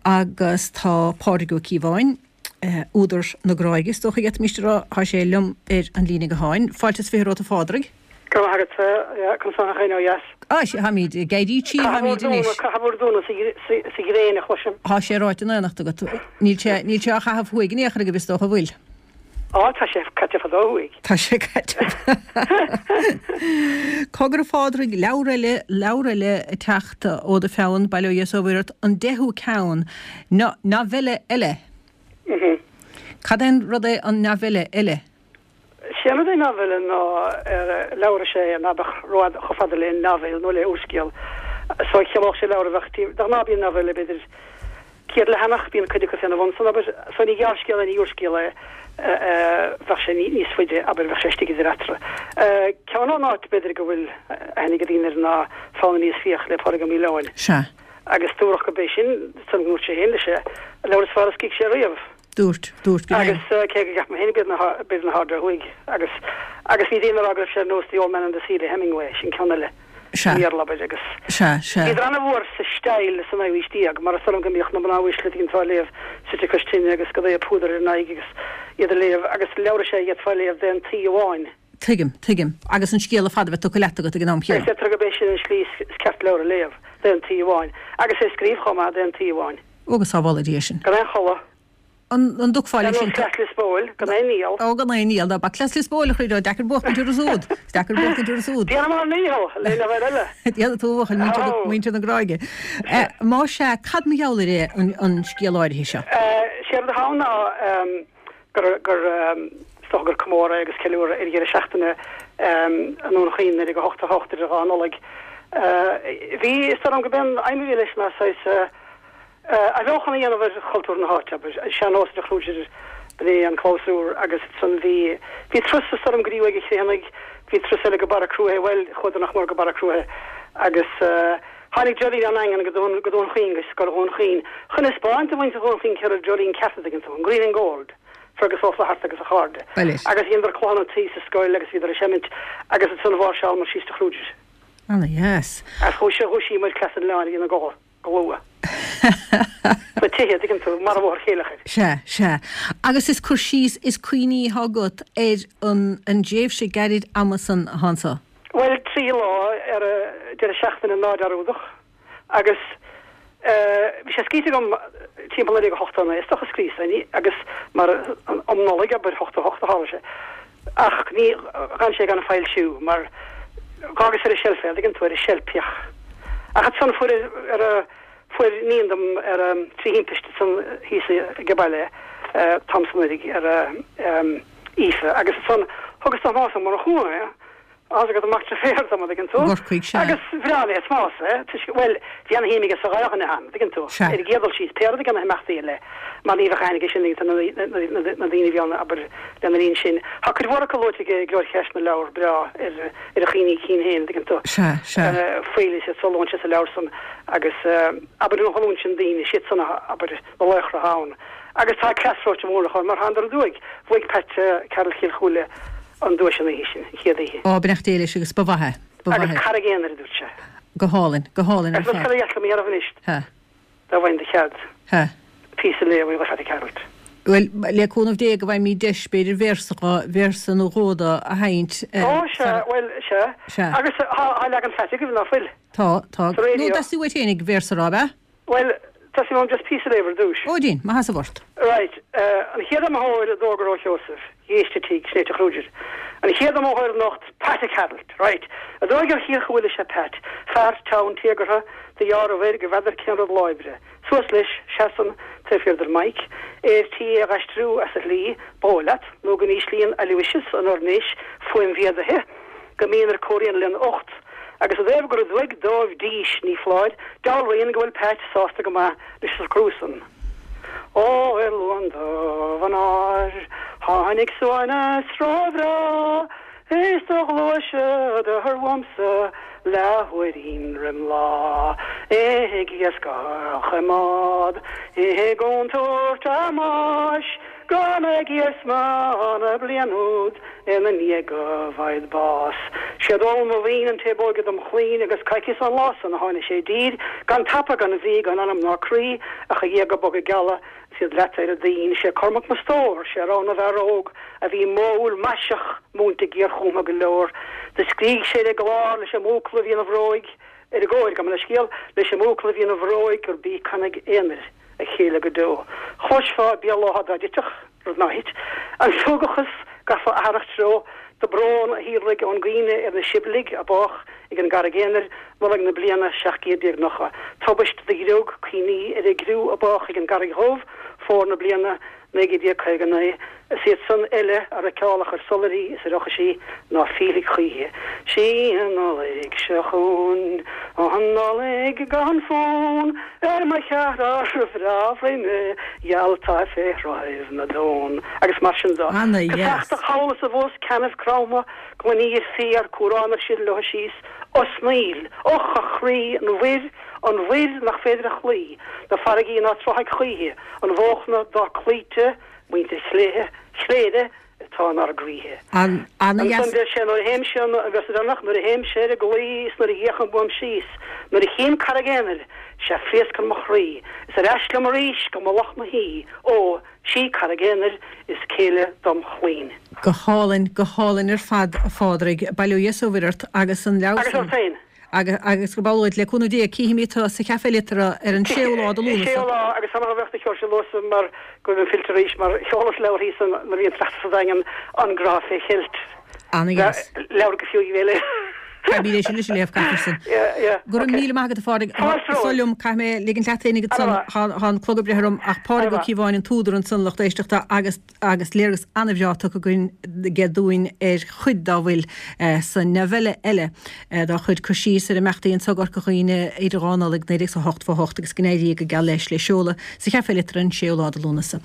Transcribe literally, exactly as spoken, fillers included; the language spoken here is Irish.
Agus tá Pádraig Ó Cíobháin, údar na Gráige, is dócha d'fhéadfaimis a rá, tá sé liom ar an líne gutháin. Fáilte is fiche romhat a Phádraig. Go raibh maith agat, conas tá gach éinne ó dheas? Á, sea, táimid ag éirí tí, táimid anois. Caitheamh bhur dúnadh sa ghréin a chloisim. Tá sé ráite in éineacht agat. Níl sé, níl sé á chaitheamh thuaidh in aon chor agaibh is dócha, an bhfuil? Á, tá sé caite fadó thuaidh. Tá sé caite. Cogar a Phádraig, leabhar eile, leabhar eile ag teacht ó do pheann, bail ó Dhia is ó Mhuire ort, an deichiú ceann, novella eile. Cad é an rud é an novella eile? Sé an rud é novella ná leabhar is ea é ná beadh rófhada, chomh fada le novel nó le úrscéal. So chiallódh sé leabhar a bheadh taobh, de ghnáth bíonn novella b'fhéidir céad leathanach, bíonn cuid acu féna bhun san, abair. So ní gearrscéal é, ní úrscéal é, bheadh sé níos faide, abair, bheadh sé istigh idir eatarthu. Ceann ón áit b'fhéidir go bhfuil aithne ag daoine air ná Fonn Aníos Fiach le Pádraig Ó Maoileoin. Sea. Agus dúradh go b'é sin, san go ndúirt sé féin leis é, an leabhar is fearr a scrígh sé riamh. Dúirt, dúirt go Agus cé go gceapaim féin b'fhéidir na, b'fhéidir na hArda Thuaidh agus, agus bhí daoine ag rá go raibh sé ar nós The Old Man and the Sea le Hemingway, sin ceann eile. Sea. I mBéarla, abair, agus. Sea, sea. Bhíodar ana-mhór sa style sa naoú haois déag, mar is dóigh liom go mbíodh na mná uaisle ag an léamh suite cois tine agus go dtaobh púdar ar a n-aghaidh agus iad a léamh agus leabhar is ea a d'fhéadfá a léamh d'aon tsuí amháin. Tuigim, tuigim. Agus an scéal ar fad a bheith tugtha leat agat ag an am chéanna. Is deirtear gurb é sin an slí is ceart leabhar a léamh, d'aon tsuí amháin. Agus é a scríobh chomh maith, d'aon tsuí amháin. Ó, go sábhála Dia sinn. Gan aon chodladh. An an dtiocfá Ar leis nós sin? Cleas Lios Póil, gan aon iall. Ó, gan aon iall. Ná bac Cleas Lios Póil, a chroí, deacair buachtaint orthu siúd. Is deacair buachtaint orthu siúd. Déanaim ár ndícheall, le leabhar eile. Déanfaidh tú, a bhuachaill, muintir na, muintir na Gráige. Má sea, cad mar gheall air é an, an scéal áirithe seo? Séard atá ann ná gur, gur, is dócha gur comóradh agus ceiliúradh ar dheireadh seachtaine i nDún Chaoin naoi déag a hocht a hocht idir dhá Nollaig. Bhí, is dóigh liom go b'é an aidhm a bhí leis ná saghas athbheochan a dhéanamh ar chultúr na háite, abair, an sean-nós de chrúidir, b'in é an clabhsúr agus ansan bhí, bhí turas is dóigh liom go dtí Uaigh an Chriomhthanaigh, bhí turas eile go Barra Cruaiche, bhuel, chuadar nach mór go Barra Cruaiche agus tháinig dreoilín ón nDaingean go Dún, go Dún Chaoin, go Scoil Dhún Chaoin, chun a 'spáint do mhuintir Dhún Chaoin cé raibh dreoilín ceart, an dtuigeann tú, an Green and Gold. Fergus Ó Flatharta agus a chairde. Agus dheineadar clocha na tuí sa scoil agus bhíodar ag seimint agus ansan mháirseálamar síos de chrúidir. Ana dheas. Agus chuaigh sé, dhúisíomar Cleas an Oileáin a bhí ina gcodladh go luath. Sna tithe, tuigeann tú, mar a Bhóthar Chéilleachair. Sea, sea. Agus is cur síos, is cuimhní atá agat ar an, an dtréimhse gairid ama san atá anso. Bhuel, trí lá ar an deireadh seachtaine ná dearúdach. Agus bhí sé scríte agam timpeall naoi déag ochtó naoi, is dócha, scríofa agus mar um Nollaig, abair, ochtó hocht a tharla sé. Ach ní, d'fhan sé gan foilsiú mar dh'fhágas ar an tseilf é, an dtuigeann tú, ar an tseilf. Ach ansan fuair, ar a, fuair iníon dom ar a, trí thimpiste ansan thíos ag an baile, t-am san uilig, ar a, Aoife, agus ansan thugas do Thomás Ó Murchú é. Tá fhios agat mac deirféar dom, an dtuigeann tú. I gCorcaigh, sea. Agus bhreá le Tomás é, toisc, bhuel, bhí ana-shuim aige sa dhá dhuine ann, an dtuigeann tú. Sea. Ar an gcéad dul síos, pé rud ag na himeachtaí eile, mar ní bheadh aithne aige sin ag na, na, na, na daoine a bhí ann, abair, lena linn sin. Tá cuid mhór acu luaite aige i nGlór Cheist na Leabhar breá ar, ar a chuimhní cinn féin, an dtuigeann tú. Sea, sea. Faoil is iad so a luann sé sa leabhar san agus, abair, an ghlúin sin daoine, siad san a, abair, na laochra ann. Agus tá cleas reoite mór acu, mar thánadar aduaidh. Bhuaigh Pat Carroll Chill Chúile an duais an oíche sin, an chéad oíche. Ó, beannacht Dé leis agus ba mhaith é, ba mhaith Agus é. Carraig Aonair, a dúirt sé. Go hálainn, go hálainn ar Agus fad. cad a dheas liom a dhéanamh anois, Ha. dá bhfaighinn do chead, Ha. píosa a léamh ó Phatty Carroll. Bhuel, le cúnamh Dé go bhfaighimid deis, b'fhéidir véarsa, véarsa nó dhó de a sheinnt. Ó, sea, bhuel, sea. Sea. Agus tá leagan Phatty agaibh, ná fuil? Tá, tá. Sa raidió. Nó theastaigh uait fhéinig véarsa a rá, ab ea? Bhuel, theastaigh uaim just píosa a léamh ar dtúis. Ó, dein, maith as a bhort. Right, an chéad iomaitheoir a d'fhógair Ó Sheosaimh, dh'éist a tigh, Snéite Chrúidir. An chéad iomaitheoir anocht, Pat Carroll. Right. Aduaidh ar Chill Chúile is ea Pat, fear teann téagartha, de dheáramh air go bhfeadar cén rud lá oibre. Suas leis, seasann, taobh thiar den mic, é ar tí é a dh'aistriú as a shlí, ba dhóigh leat, nó go n-íslíonn Aloysius an oirnéis fuaimmhéadaithe go mion ar comhrian lena ucht. Agus i dtaobh gur aduaidh dóibh dís, ní foláir, dealraíonn go bhfuil Pat sásta go maith leis an socrú san. Ó, ar Luan dubh an áir, tháinig suaimhneas róbhreá, is do ghluaiseadar uaimse leathuairín roim lá, ag iascach i mbád i gcontúirt a mbáis, Gan ag iarsma na bliain úd ina ndiaidh go bhfaighid bás. Sé Dónall mo mhian an té ab óige dom chlainn agus coicíos ón lá san a tháinig sé i dtír, gan tapa gan bhrí gan anam ná croí ach a ghéaga boga geala is iad leata ar a dtoinn. Sé Cormac mo stór, sé rogha na bhfear óg a bhí modhúil maiseach múinte géarchúmtha go leor. Do scrígh sé ar an gclár leis an mbuachaill a bhí ina bhróig ar an gcóir, gabh mo leithscéal, leis an mbuachaill a bhí ina bhróig gurb í Carraig Aonair a chéile go deo. Chloisfeá Béal Átha dá dtitfeadh, rud ná thit, an súgachas gabhfá athrach treo, do brón a shíolraigh ón gcuimhne ar na Sibligh a bádh ag an gCarraig Aonair, Nollaig na bliana seacht gcéad déag nócha. Tubaist do ghriog cuimhní ar an gcriú a bádh ag an gCarraig Dhubh, fómhar na bliana naoi gcéad déag caoga naoi. Is iad san eile a fheiceálach ar soilairí is ar eochaisí ná fillfidh choíche. Sí an Nollaig seo chugainn, an Nollaig gan fonn ar mo cheathrar bhreá bhroinne gheal atá fé shruthaibh na dtonn. Agus mar sin de. Ana-dheas. Casachtach thall is abhus, ceannaibh cromtha, gloiní ar fiar, cuaráin ar sileadh leo síos, osnaíl, och a chroí, an mhuir, an mhuir nach féidir a chloí, na farraigí ná tráfaidh choíche, an bhóchna dá cloíte, muintir Chléire, Chléire atá inár gcroíthe. An, ana-dheas. Ansan deir sé, nuair a théimse, an véarsa deireanach, nuair a théimse ar an gclaí is nuair a fhéachaim uaim síos, nuair a chím Carraig Aonair, sea phléascann mo chroí, is ar ais liom arís go mullach mo thí, ó, sí Carraig Aonair is céile dom chlainn. Go hálainn, go hálainn ar fad, a Phádraig. Bail ó Dhia is ó Mhuire ort agus an leabhar Agus san. ort féin. Agus, agus go bhfáil le cúnamh Dé, cífimid tú sa Chaifé Liteartha ar an séú lá de Lúnasa. Séú lá, agus tá mé bheith cheol sé luasa mar go bhfuil fillte arís mar sheolas leabhar thíos an nuair a bhí an tráchtas sa Daingean, An Grá fé Cheilt. Ana-dheas. Leabhar go fiú í bhéile. Caithfidh mé sin leis a léamh caithfear sin. Yeah, yeah, Go raibh okay. míle maith agat a Phádraig. Fáilte romhat. Seo liom, caithfidh mé ligint leat féin agat san, Ana-mhaith. tá tá an clog ag breith orm ach Pádraig Ó Ana-mhaith. Cíobháin an t-údar ansan lucht éisteachta agus agus léargas an-bhreá tugtha againn aige dúinn ar chuid dá bhfuil eh, sa novella eile eh, dá chuid cur síos ar imeachtaí anso i gCorca Dhuibhne idir dhá Nollaig naoi déag is a hocht fó hocht agus go n-éirí go geal leis le seoladh sa Chaifé Liteartha an séú lá de Lúnasa.